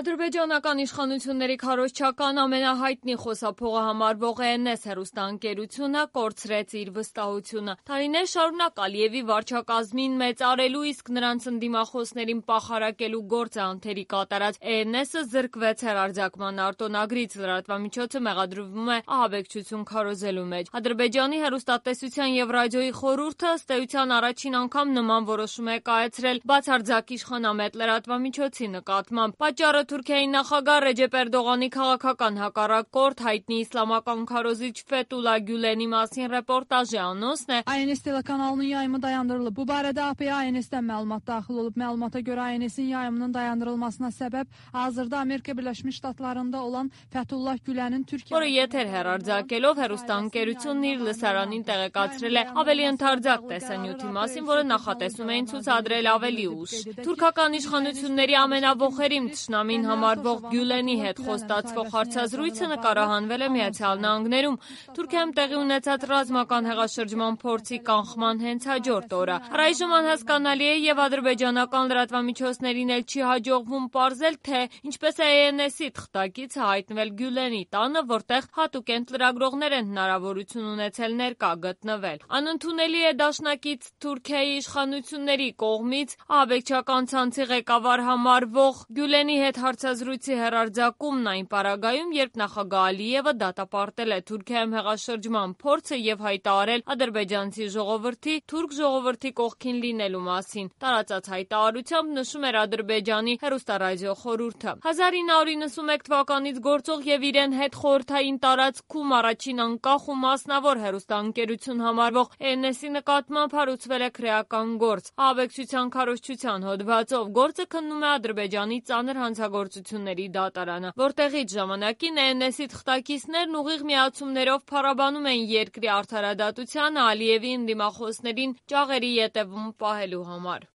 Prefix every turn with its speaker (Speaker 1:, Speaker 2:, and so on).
Speaker 1: Ադրբեջանական իշխանությունների քարոզչական ամենահայտնի խոսափողը համարվող ENS հեռուստաընկերությունը կորցրեց իր վստահությունը։ Տարիներ շարունակ Ալիևի վարչակազմին մեծարելու, իսկ նրանց ընդդիմախոսներին պախարակելու գործը անթերի կատարած ENS-ը զրկվեց հեռարձակման արտոնագրից։ Լրատվամիջոցը մեղադրվում է ահաբեկչություն քարոզելու մեջ։ Ադրբեջանի հեռուստատեսության և ռադիոյի խորհուրդը ըստ էության առաջին անգամ նման որոշում է կայացրել բացարձակ իշխանամետ լրատվամիջոցի նկատմամբ։ Պատճառը Թուրքիայի նախագահ Ռեջեփ Էրդողանի քաղաքական հակառակորդ հայտնի իսլամական քարոզիչ Ֆեթուլա Գյուլենի մասին ռեպորտաժի անոնսն է։
Speaker 2: INS telekanalının yayımı dayandırılıb. Bu barədə AP-yə INS-dən məlumat daxil olub. Məlumata görə INS-in yayımının dayandırılmasına səbəb hazırda Amerika Birləşmiş Ştatlarında olan Fethullah Gülənin Türkiyə
Speaker 1: որը եթեր հեռարձակելով հեռուստաընկերությունն իր լսարանին տեղեկացրել է ավելի ընդարձակ տեսանյութի մասին, որը նախատեսում էին ցուցադրել ավելի ուշ։ Թուրքական իշխանությունների ամենավոխերիմ թշնամին համարվող Գյուլենի հետ խոստացվող հարցազրույցը նկարահանվել է Միացյալ Նահանգներում Թուրքիայում տեղի ունեցած ռազմական հեղաշրջման փորձի կանխման հենց հաջորդ օրը։ Առայժմ անհասկանալի է եւ ադրբեջանական լրատվամիջոցներին էլ չի հաջողվում պարզել, թե ինչպես է ENS-ի թղթակիցը հայտնվել Գյուլենի տանը, որտեղ հատուկենտ լրագրողներ են հնարավորություն ունեցել ներկա գտնվել։ Անընդունելի է դաշնակից Թուրքիայի իշխանությունների կողմից ահաբեկչական ցանցի ղեկավար համարվող Գյուլենի հետ հարցազրույցի հեռարձակումն այն պարագայում, երբ նախագահ Ալիևը դատապարտել է Թուրքիայում հեղաշրջման փորձը եւ հայտարարել ադրբեջանցի ժողովրդի թուրք ժողովրդի կողքին լինելու մասին։ Տարածած հայտարարությամբ նշում էր Ադրբեջանի հեռուստառադիո խորհուրդը։ 1991 թվականից գործող եւ իրեն հետ խորհրդային տարածքում առաջին անկախ ու մասնավոր հեռուստաընկերություն համարվող ENS-ի նկատմամբ հարուցվել է քրեական գործ։ Ահաբեկչության քարոզչության հոդվածով գործը քննում է Ադրբեջանի ծանր հանցագործությունների դատարանը, որտեղից ժամանակին ENS-ի թղթակիցներն ուղիղ միացումներով փառաբանում են երկրի արդարադատությանը Ալիևի ընդդիմախոսներին ճաղերի ետևում պահելու համար։